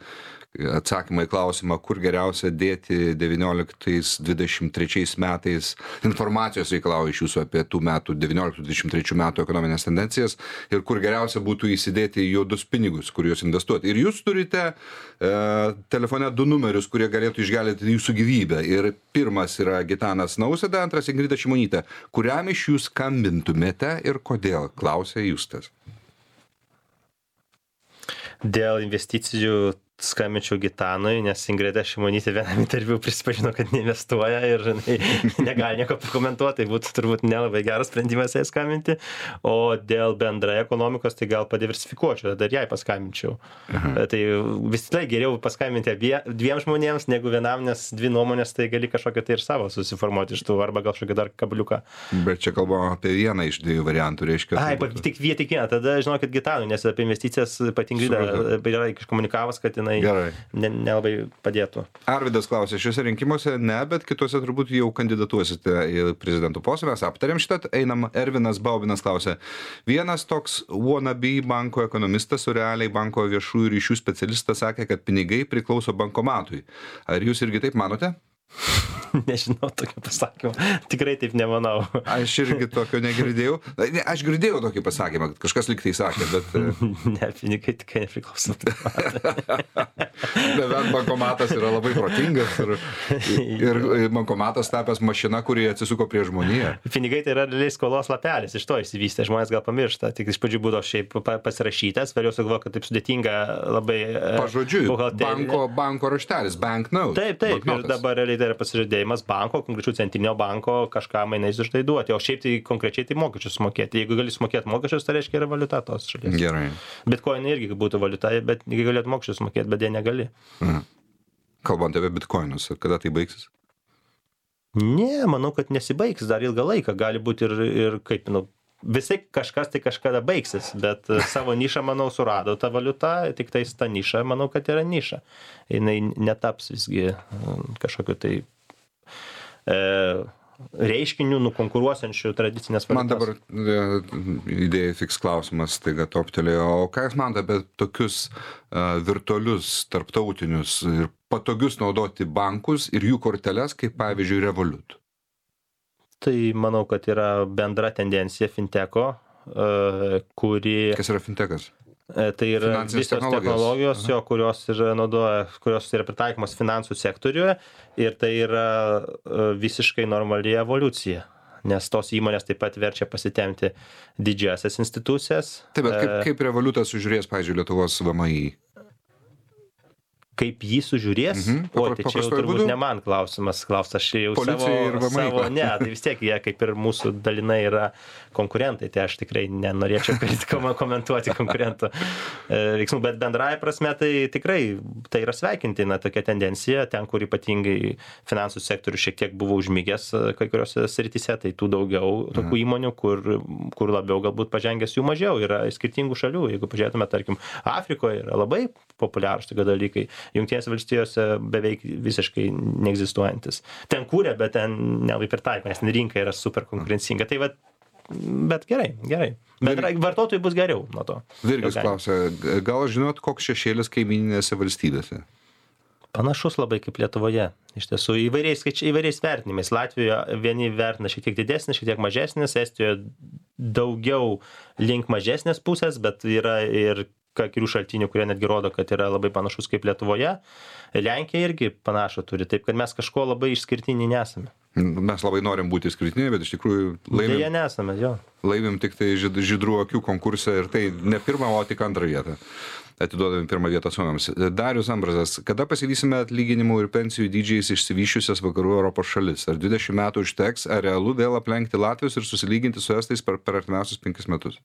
S1: atsakymą į klausimą, kur geriausia dėti 19-23 metais informacijos reikalauja iš jūsų apie tų metų 19-23 metų ekonominės tendencijas ir kur geriausia būtų įsidėti juodus pinigus, kur juos investuoti. Ir jūs turite telefone 2 numerius, kurie galėtų išgelbėti jūsų gyvybę. Ir pirmas yra Gitanas Nausėda, antras Ingrida Šimonytė. Kuriam iš jūs skambintumėte ir kodėl? Klausė Justas.
S2: Dėl investicijų skambinčiau Gitanui, nes Ingrida Šimonytė vienam interviu prisipažino, kad neinvestuoja ir negali nieko pakomentuoti, tai būtų turbūt nelabai geras sprendimas jai skambinti, o dėl bendrai ekonomikos tai gal padiversifikuočiau, dar jai paskambinčiau. Tai vis tai geriau paskambinti 2 žmonėms negu vienam, nes 2 nuomonės tai gali kažkokią tai ir savo susiformuoti iš tų, arba gal kažkokį dar kabliuką.
S1: Bet čia kalbama apie vieną iš 2 variantų, reiškia.
S2: Tik vieną, tada žinokit Gitanui, nes apie investicijas Ingrida yra iškomunikavus, kad nelabai padėtų.
S1: Arvydas klausė, šiuose rinkimuose ne, bet kituose turbūt jau kandidatuosite į prezidentų postą. Mes aptarėm šitą, einam. Ervinas Baubinas klausė, vienas toks wannabe banko ekonomistas, o realiai banko viešųjų ryšių specialistas sakė, kad pinigai priklauso bankomatui. Ar jūs irgi taip manote?
S2: Nežinau tokio pasakymo. Tikrai taip nemanau.
S1: Aš irgi tokio negirdėjau. Aš girdėjau tokį pasakymą, kad kažkas lyg tai sakė, bet...
S2: Ne, pinigai tikrai nepriklauso.
S1: Bet bankomatas yra labai protingas ir bankomatas tapęs mašina, kuri atsisuko prie žmoniją.
S2: Pinigai tai yra realiai skolos lapelis, iš to išsivystė, žmonės gal pamiršta. Tik iš pradžių būdavo šiaip pasirašytas, vėliau sugalvojo, kad taip sudėtinga labai...
S1: Pažodžiui, banko raštelis, banknote.
S2: Taip, ir dabar realiai tai yra pasižadėjimas banko, konkrečių centrinio banko kažką mainais už tai duoti, o šiaip tai konkrečiai tai mokesčius mokėti. Jeigu gali sumokėti mokesčius, tai reiškia yra valiuta tos šalies.
S1: Gerai.
S2: Bitcoin irgi būtų valiuta, bet jeigu galėtų mokesčius mokėti, bet jie negali.
S1: Kalbant apie bitcoinus, kada tai baigsis?
S2: Ne, manau, kad nesibaigs dar ilgą laiką. Gali būti ir kaip, visai kažkas tai kažkada baigsis, bet savo nišą, manau, surado tą valiutą, tik tais ta niša, manau, kad yra niša. Jinai netaps visgi kažkokiu tai reiškinių nukonkuruosiančių tradicinės valiutos.
S1: Man dabar idėja fiks klausimas, taiga toptelėjo. O ką jūs manote apie tokius virtualius, tarptautinius ir patogius naudoti bankus ir jų korteles, kaip pavyzdžiui Revolut?
S2: Tai manau, kad yra bendra tendencija finteko, kuri...
S1: Kas yra fintekas?
S2: Tai yra visos technologijos, kurios yra pritaikomos finansų sektoriuje ir tai yra visiškai normali evoliucija, nes tos įmonės taip pat verčia pasitemti didžiasias institucijas.
S1: Taip, bet kaip Revolutas sužiūrės, pavyzdžiui, Lietuvos VMI?
S2: Kaip jį sužiūrės? O, tai čia jau turbūt ne man klausimas, aš jau savo, ne, tai vis tiek jie kaip ir mūsų dalinai yra konkurentai, tai aš tikrai nenorėčiau komentuoti konkurentų veiksmų, bet bendrąja prasme tai tikrai tai yra sveikintina tokia tendencija, ten, kur ypatingai finansų sektorius šiek tiek buvo užmigęs kai kuriuose srityse, tai tų daugiau tokių įmonių, kur labiau galbūt pažengęs jų mažiau, yra skirtingų šalių, jeigu pažiūrėtume, tarkim, Afrikoje yra labai populiarūs tokie dalykai. Jungtinėse valstijose beveik visiškai neegzistuojantis. Ten kūrė, bet ten nelabai pritaiko, nes rinka yra super konkurencinga. Tai bet gerai. Bet vartotojui bus geriau nuo to.
S1: Virgis klausia, gal žinot, koks šešėlis kaimyninėse valstybėse?
S2: Panašus labai kaip Lietuvoje. Iš tiesų, įvairiais vertinimais. Latvijoje vieni vertina šiek tiek didesnis, šiek tiek mažesnis, Estijoje daugiau link mažesnės pusės, bet yra ir kurių šaltinių, kurie netgi rodo, kad yra labai panašus kaip Lietuvoje. Lenkija irgi panašų turi, taip kad mes kažko labai išskirtiniai nesame.
S1: Mes labai norim būti išskirtiniai, bet iš tikrųjų
S2: Deja nesame, jo.
S1: laimim tik tai žydrų akių konkurse ir tai ne pirmą, o tik antrą vietą. Atiduodami pirmą vietą suomiams. Darius Ambrazas, kada pasivysime atlyginimų ir pensijų dydžiais išsivyščiusias vakarų Europos šalis? Ar 20 metų užteks, ar realu vėl aplenkti Latvius ir susilyginti su estais per artimiausius 5 metus?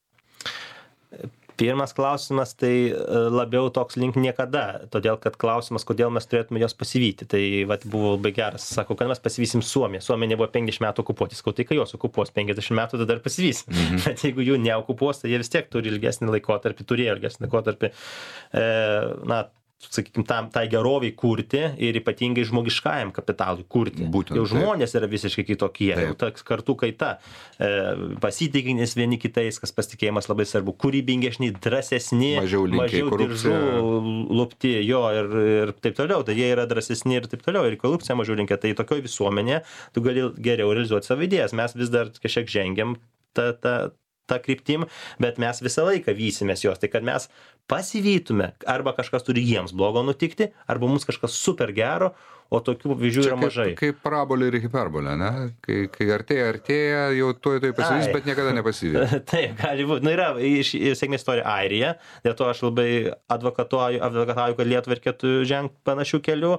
S2: Pirmas klausimas, tai labiau toks link niekada, todėl kad klausimas, kodėl mes turėtume jos pasivyti. Tai vat, buvo labai geras, sako, kad mes pasivysim Suomiją. Suomija nebuvo 50 metų okupuoti, sakau, tai kai jos okupuos 50 metų, tada dar pasivysim. Bet jeigu jų neokupuos, tai jie vis tiek turi ilgesnį laikotarpį, turėjo ilgesnį laikotarpį, sakykime, tai geroviai kurti ir ypatingai žmogiškajam kapitalui kurti.
S1: Būtent,
S2: jau žmonės yra visiškai kitokie,
S1: taip.
S2: Jau ta kartų kaita, pasitikinės vieni kitais, kas pasitikėjimas labai svarbu, kūrybingesni, drąsesni,
S1: mažiau
S2: diržų lupti, jo ir taip toliau, tai jie yra drąsesni ir taip toliau, ir korupcija mažiau linkia, tai tokioje visuomenėje tu gali geriau realizuoti savo idėjas, mes vis dar kažkiek žengiam tą kryptim, bet mes visą laiką vysimės jos, tai kad mes pasivytume, arba kažkas turi jiems blogo nutikti, arba mums kažkas super gero, o tokių pavyzdžių yra mažai.
S1: Kaip parabolė ir hiperbolė, ne? Kai artėja, jau tuoj pasivys, bet niekada nepasivys.
S2: Taip, gali būti. Nu, yra sėkmės istorija Airija, dėl to aš labai advokatuoju, kad Lietuvai reikėtų žengti panašių kelių.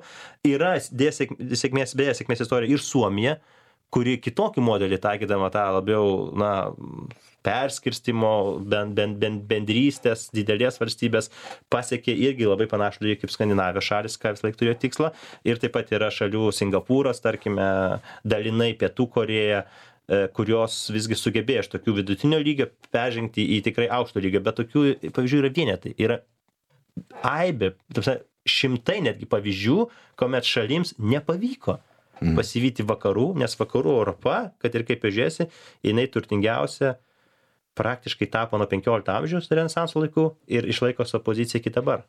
S2: Yra sėkmės istorija ir Suomija, kuri kitokį modelį taikydama tą labiau, perskirstimo, bendrystės, didelės valstybės pasiekė irgi labai panašų dalyką kaip Skandinavijos šalis, ką vis laik turėjo tikslą. Ir taip pat yra šalių Singapūras, tarkime, dalinai Pietų Korėja, kurios visgi sugebėjo iš tokių vidutinio lygio peržengti į tikrai aukšto lygio, bet tokių pavyzdžių yra vienetai. Yra aibė, šimtai netgi pavyzdžių, kuomet šalims nepavyko pasivyti vakarų, nes vakarų Europa, kad ir kaip žiūrėsi, jinai turtingiausia praktiškai tapo nuo 15 amžiaus renesanso laikų ir išlaiko savo poziciją iki dabar.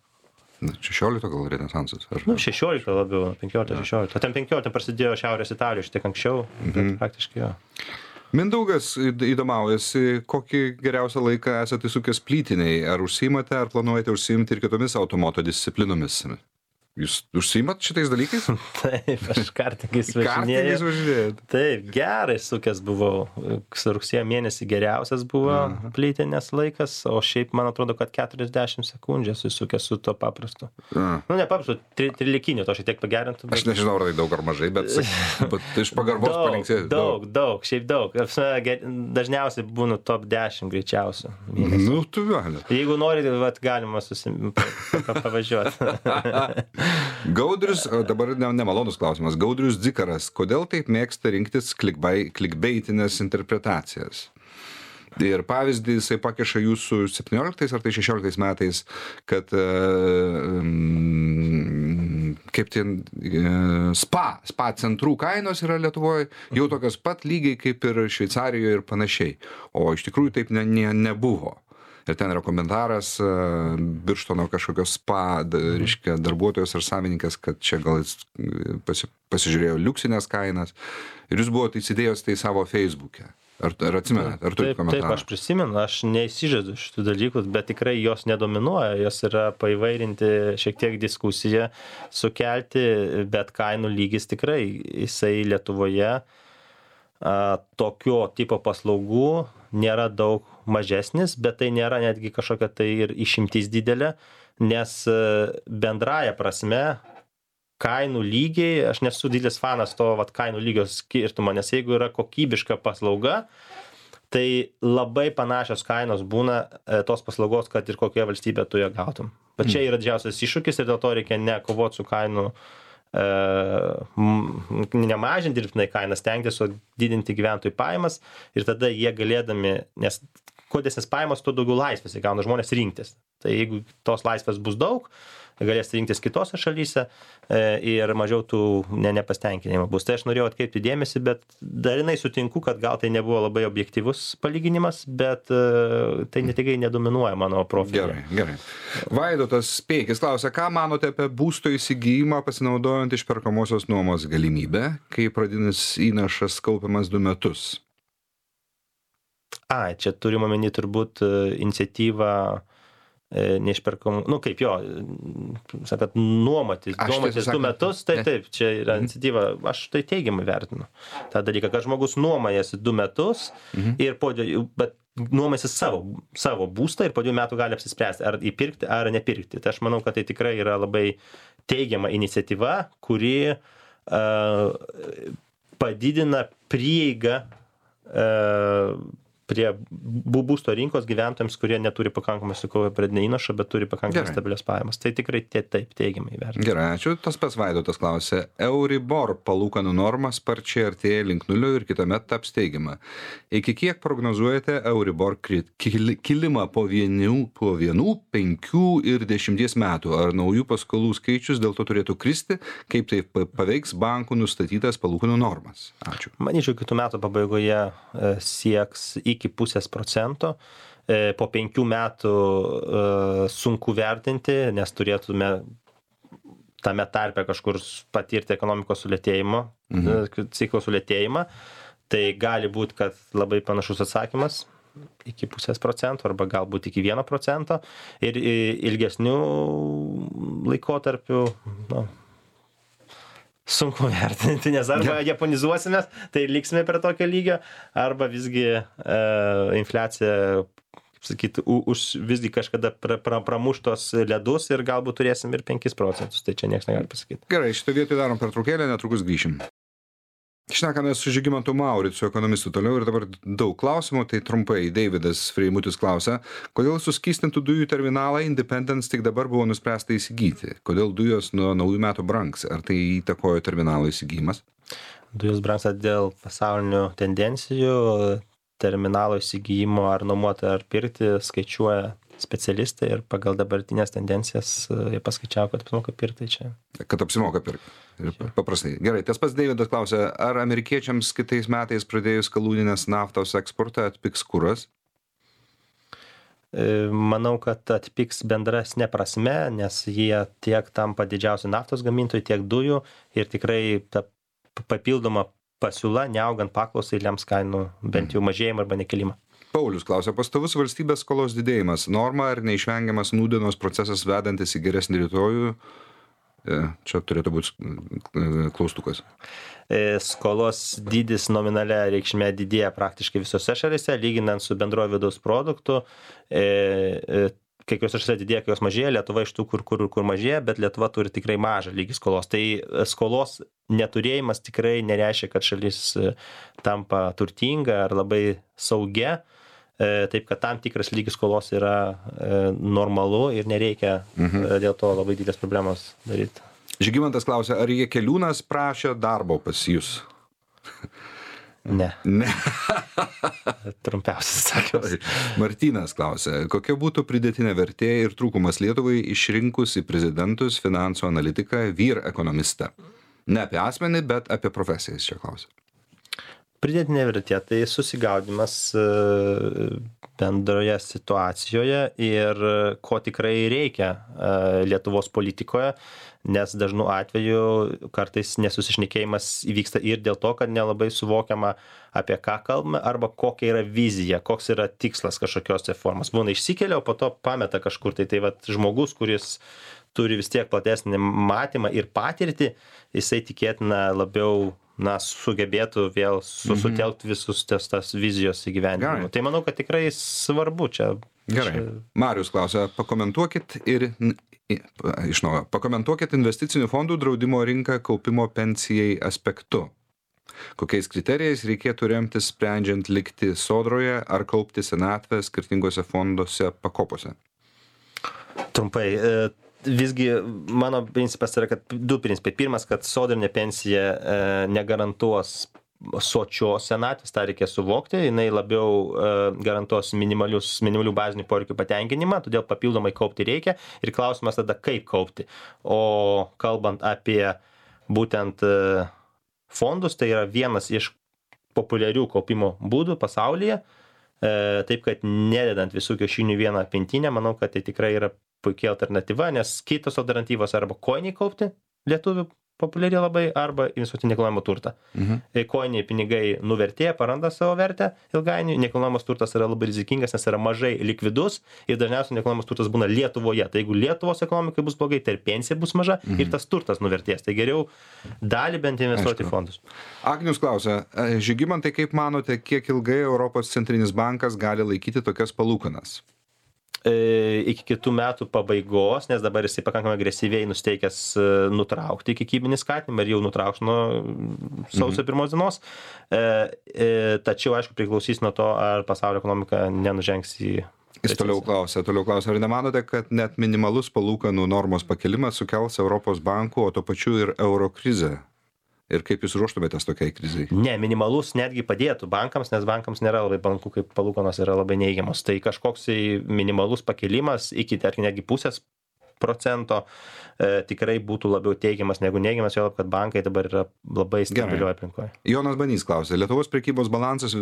S1: 16 gal renesansas?
S2: 16 labiau, 15-16. O ten 15 prasidėjo Šiaurės Italijoje, šiek tiek anksčiau, bet praktiškai jo.
S1: Mindaugas įdomaujasi, kokį geriausią laiką esate įsukęs plytiniai. Ar užsiimate, ar planuojate užsiimti ir kitomis automoto disciplinomis? Jūs užsiimat šitais dalykais?
S2: Taip, aš kartingais važinėjau. Taip, gerai sukęs buvau. Rugsėjo mėnesį geriausias buvo plytinės laikas, o šiaip man atrodo, kad 40 sekundžių susukęs su to paprastu. Ne paprastu, trilikiniu, to šiek tiek pagerintų.
S1: Aš nežinau, ar tai daug ar mažai, bet iš pagarbos palinksėjau.
S2: Daug, šiaip daug. Dažniausiai būnu top 10 greičiausių.
S1: Nu, tu gali.
S2: Jeigu nori, galima pavažiuoti.
S1: Gaudrius, dabar nemalonus klausimas, Gaudrius Dzikaras, kodėl taip mėgsta rinktis klikbeitinės interpretacijas? Ir pavyzdį jisai pakeša jūsų 17 ar tai 16 metais, kad kaip ten spa centrų kainos yra Lietuvoje jau tokios pat lygiai kaip ir Šveicarijoje ir panašiai, o iš tikrųjų taip nebuvo. Ir ten yra komentaras Birštono kažkokios spa, reiškia, darbuotojas ar savininkas, kad čia gal jis pasižiūrėjo liuksinės kainas. Ir jūs buvote įsidėjęs tai savo Facebook'e. Ar atsimenat? Ar turite komentarą?
S2: Taip, aš prisimenu, aš neįsižadu šitų dalykų, bet tikrai jos nedominuoja, jos yra paįvairinti šiek tiek diskusiją, sukelti, bet kainų lygis tikrai, jisai Lietuvoje tokio tipo paslaugų nėra daug mažesnis, bet tai nėra netgi kažkokia tai ir išimtis didelė, nes bendraja prasme kainų lygiai, aš nesu didelis fanas to kainų lygio skirtumo, nes jeigu yra kokybiška paslauga, tai labai panašios kainos būna tos paslaugos, kad ir kokioje valstybėje tu ją gautum. Bet čia yra didžiausias iššūkis ir dėl to reikia ne kovoti su kainų nemažinti dirbtinai kainas, stengtis, o didinti gyventojų pajamas ir tada jie galėdami, nes kuo didesnės pajamos, tuo daugiau laisvės įgauna žmonės rinktis. Tai jeigu tos laisvės bus daug, galės rinktis kitose šalyse ir mažiau tų nepastenkinimo bus. Tai aš norėjau atkreipti dėmesį, bet dalinai sutinku, kad gal tai nebuvo labai objektyvus palyginimas, bet tai netikrai nedominuoja mano profilį.
S1: Gerai. Vaidotas Peikis klausia, ką manote apie būsto įsigijimą pasinaudojant išperkamosios nuomos galimybę, kai pradinis įnašas kaupiamas 2 metus?
S2: Čia turime omeny turbūt iniciatyvą neišperkamų, nu kaip jo, sakant, nuomotis 2 metus, tai taip, čia yra iniciatyva, aš tai teigiamai vertinu tą dalyką, kad žmogus nuomojasi 2 metus ir bet nuomojasi savo būstą ir po 2 metų gali apsispręsti, ar įpirkti, ar nepirkti. Tai aš manau, kad tai tikrai yra labai teigiama iniciatyva, kuri padidina prieigą prie būsto rinkos gyventojams, kurie neturi pakankamai sukaupę pradinio įnašo, bet turi pakankamai stabilias pajamas. Tai tikrai taip teigiamai vertinti.
S1: Gerai, ačiū. Tas pats Vaidotas klausė. Euribor palūkanų norma sparčiai artėja link nulio ir kitąmet taps teigiama. Iki kiek prognozuojate Euribor kilimą po 1, 5 ir 10 metų? Ar naujų paskolų skaičius dėl to turėtų kristi? Kaip tai paveiks bankų nustatytas palūkanų normas? Ačiū.
S2: Manyčiau, kitų metų pabaigoje sieks iki 0,5%. Po 5 metų sunku vertinti, nes turėtume tame tarpe kažkur patirti ekonomikos sulėtėjimo, ciklo sulėtėjimą. Tai gali būti, kad labai panašus atsakymas iki 0,5% arba galbūt iki 1%. Ir ilgesnių laikotarpių, sunku vertinti, nes arba japonizuosimės, tai liksime prie tokio lygio, arba visgi infliacija, sakyti, visgi kažkada pramuštos ledus ir galbūt turėsim ir 5%, tai čia niekas negali pasakyti.
S1: Gerai, šitą vietą darom pertraukėlę, netrukus grįšim. Šnekame su Žygimantu Mauricu, ekonomistu toliau ir dabar daug klausimų, tai trumpai Deividas Freimutis klausia, kodėl suskystintų dujų terminalą Independence tik dabar buvo nuspręsta įsigyti? Kodėl dujos nuo naujų metų brangs? Ar tai įtakojo terminalo įsigijimas?
S2: Dujos brangsta dėl pasaulinių tendencijų, terminalo įsigijimo ar nuomoti ar pirkti skaičiuoja specialistai ir pagal dabartinės tendencijas jie paskaičiavo, kad apsimoka pirkti čia.
S1: Kad apsimoka pirkti. Paprastai. Gerai, tas pats Deividas klausė, ar amerikiečiams kitais metais pradėjus skalūninės naftos eksportą atpigs kuras?
S2: Manau, kad atpigs bendrasne prasme, nes jie tiek tampa didžiausi naftos gamintojai, tiek dujų ir tikrai ta papildoma pasiūla, neaugant paklausai, lems kainų bent jau mažėjimą arba nekelimą.
S1: Paulius klausia, pastovus valstybės skolos didėjimas, norma ar neišvengiamas nūdienos procesas vedantis į geresnį rytojų? Čia turėtų būti klaustukas.
S2: Skolos dydis nominalia reikšmė didėja praktiškai visose šalyse, lyginant su bendrojo vidaus produktu. Kai kuriuose šalyse didėja, kai jos mažėja, Lietuva iš tų, kur mažėja, bet Lietuva turi tikrai mažą lygį skolos. Tai skolos neturėjimas tikrai nereiškia, kad šalis tampa turtinga ar labai saugia. Taip, kad tam tikras lygis skolos yra normalu ir nereikia dėl to labai didelės problemos daryti.
S1: Žygimantas klausia, ar Jakeliūnas prašė darbo pas jūs?
S2: Ne. Trumpiausias atsakymas.
S1: Martynas klausia, kokia būtų pridėtinė vertė ir trūkumas Lietuvai išrinkus į prezidentus finansų analitiką vyr ekonomistą? Ne apie asmenį, bet apie profesiją jis čia klausia.
S2: Pridėtinė vertė tai susigaudimas bendroje situacijoje ir ko tikrai reikia Lietuvos politikoje, nes dažnu atveju kartais nesusišnekėjimas įvyksta ir dėl to, kad nelabai suvokiama, apie ką kalbame arba kokia yra vizija, koks yra tikslas kažkokios formos. Būna išsikelia, o po to pameta kažkur. Tai vat žmogus, kuris turi vis tiek platesnį matymą ir patirtį, jisai tikėtina labiau sugebėtų vėl sutelkti visus tas vizijos įgyvendinimą. Tai manau, kad tikrai svarbu čia.
S1: Gerai. Marius klausia, pakomentuokit investicinių fondų draudimo rinką kaupimo pensijai aspektu. Kokiais kriterijais reikėtų remtis sprendžiant likti sodroje ar kaupti senatvę skirtingose fonduose pakopose?
S2: Trumpai. Visgi mano principas yra, kad 2 principai. Pirmas, kad sodrinė pensija negarantuos sočios senatvės, tą reikia suvokti, jinai labiau garantuos minimalių bazinių poreikių patenkinimą, todėl papildomai kaupti reikia ir klausimas tada, kaip kaupti. O kalbant apie būtent fondus, tai yra vienas iš populiarių kaupimo būdų pasaulyje, taip kad nededant visų kiaušinių vieną pintinę, manau, kad tai tikrai yra puikiai alternatyva, nes kitos alternatyvos arba koiniai kaupti lietuvių populiari labai, arba investuoti į nekilnojamą turtą. Koiniai pinigai nuvertėja, paranda savo vertę ilgainiui, nekilnojamas turtas yra labai rizikingas, nes yra mažai likvidus ir dažniausiai nekilnojamas turtas būna Lietuvoje. Tai jeigu Lietuvos ekonomikai bus blogai, tai ir pensija bus maža ir tas turtas nuvertės. Tai geriau dalį bent investuoti į fondus.
S1: Agnius klausia, Žygimantai, kaip manote, kiek ilgai Europos centrinis bankas gali laikyti tokias palūkanas?
S2: Iki kitų metų pabaigos, nes dabar jisai pakankamai agresyviai nusteikęs nutraukti kiekybinį skatinimą ir jau nutrauks nuo sausio 1 dienos. Tačiau, aišku, priklausys nuo to, ar pasaulio ekonomika nenužengs į...
S1: Jis toliau klausia, ar nemanote, kad net minimalus palūkanų normos pakelimas sukels Europos bankų, o to pačiu ir euro krizę? Ir kaip jūs ruoštumėtės tokiai krizai?
S2: Ne, minimalus netgi padėtų bankams, nes bankams nėra labai palanku, kaip palūkanos yra labai neigiamos. Tai kažkoks minimalus pakelimas iki, tarkim, netgi 0,5% tikrai būtų labiau teigiamas negu neigiamas, jau kad bankai dabar yra labai stabilioje aplinkoje.
S1: Jonas Banys klausė, Lietuvos prekybos balansas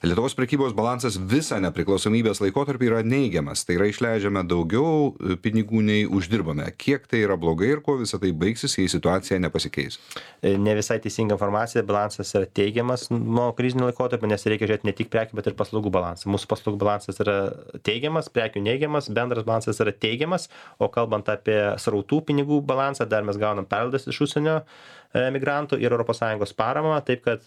S1: Lietuvos prekybos balansas visą nepriklausomybės laikotarpį yra neigiamas. Tai yra išleidžiame daugiau pinigų nei uždirbame. Kiek tai yra blogai ir kuo visą tai baigsis, jei situacija nepasikeis?
S2: Ne visai teisinga informacija, balansas yra teigiamas nuo krizinio laikotarpio, nes reikia žiūrėti ne tik prekių, bet ir paslaugų balansą. Mūsų paslaugų balansas yra teigiamas, prekių neigiamas, bendras balansas yra teigiamas, o kalbant apie srautų pinigų balansą, dar mes gaunam perlaidas iš užsienio migrantų ir ES paramą, taip kad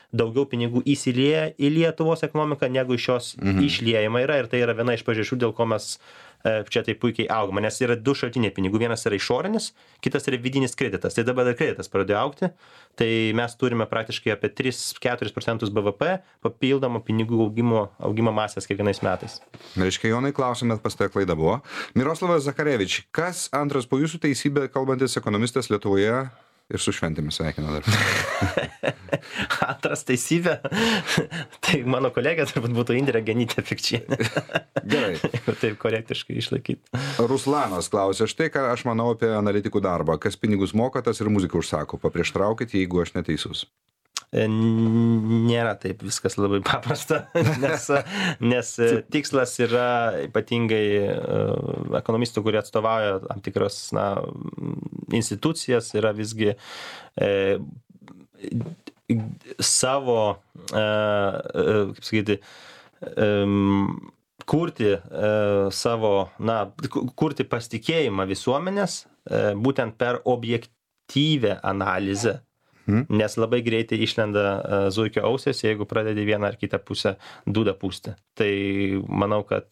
S2: daugiau pinigų įsilieja į Lietuvos ekonomiką, negu iš jos išliejama yra, ir tai yra viena iš priežasčių, dėl ko mes čia tai puikiai augama, nes yra du šaltiniai pinigų, vienas yra išorinis, kitas yra vidinis kreditas, tai dabar ir kreditas pradėjo augti, tai mes turime praktiškai apie 3-4% BVP papildomą pinigų augimo masės kiekvienais metais.
S1: Reiškia, Jonai, klausime, pas tai klaida buvo. Miroslavas Zakarevič, kas antras po jūsų teisybę kalbantis ekonomistas Lietuvoje? Ir su šventėmis sveikina dar.
S2: Antras teisybė. Tai mano kolegė turbūt būtų Indrė Genytė Pikčienė.
S1: Gerai.
S2: Taip korektiškai išlaikyti.
S1: Ruslanas klausė, štai ką aš manau apie analitikų darbą. Kas pinigus moka, tas ir muziką užsako. Paprieštraukit, jeigu aš neteisus.
S2: Nėra taip viskas labai paprasta, nes tikslas yra ypatingai ekonomistų, kurie atstovauja tam tikras institucijas, yra visgi savo, kaip sakyti, kurti pasitikėjimą visuomenės būtent per objektyvę analizę. Nes labai greitai išlenda zuikio ausės, jeigu pradedi vieną ar kitą pusę dūdą pūsti. Tai manau, kad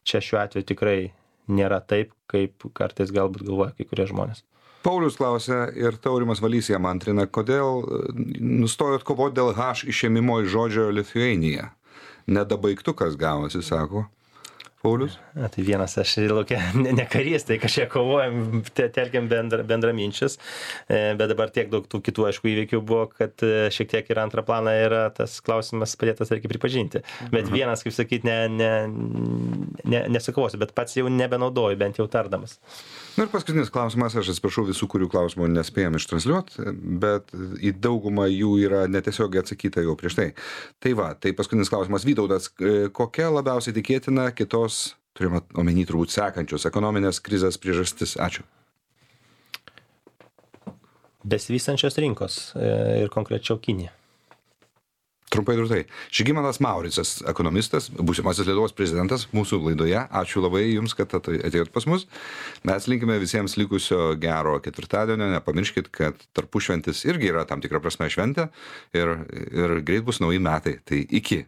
S2: čia šiuo atveju tikrai nėra taip, kaip kartais galbūt galvoja kai kurie žmonės.
S1: Paulius klausė ir Taurimas Valys jam antrina, kodėl nustojot kovoti dėl H išėmimo iš žodžio Lithuania. Nedabaigtukas gavosi, sako. Paulius?
S2: Tai vienas, aš laukia ne karys, tai kažkiek kovojam, telkiam bendraminčius, bet dabar tiek daug tų kitų, aišku, įvykių buvo, kad šiek tiek ir antrą planą yra tas klausimas padėtas, reikia pripažinti. Bet vienas, kaip sakyti, nesukovosiu, bet pats jau nebenaudoju, bent jau tardamas.
S1: Na ir paskutinis klausimas, aš atsiprašau visų, kurių klausimų nespėjom ištransliuoti, bet į daugumą jų yra netiesiogiai atsakyta jau prieš tai. Tai va, tai paskutinis klausimas. Vytautas, kokia labiausiai tikėtina kitos, turime omeny turbūt sekančios, ekonominės krizės priežastis? Ačiū.
S2: Besivystančios rinkos ir konkrečiau Kinija.
S1: Trumpai ir tai. Žygimantas Mauricas, ekonomistas, būsimasis Lietuvos prezidentas mūsų laidoje. Ačiū labai Jums, kad atėjot pas mus. Mes linkime visiems likusio gero ketvirtadienio. Nepamirškit, kad tarpušventis irgi yra tam tikra prasme šventė ir greit bus nauji metai. Tai iki.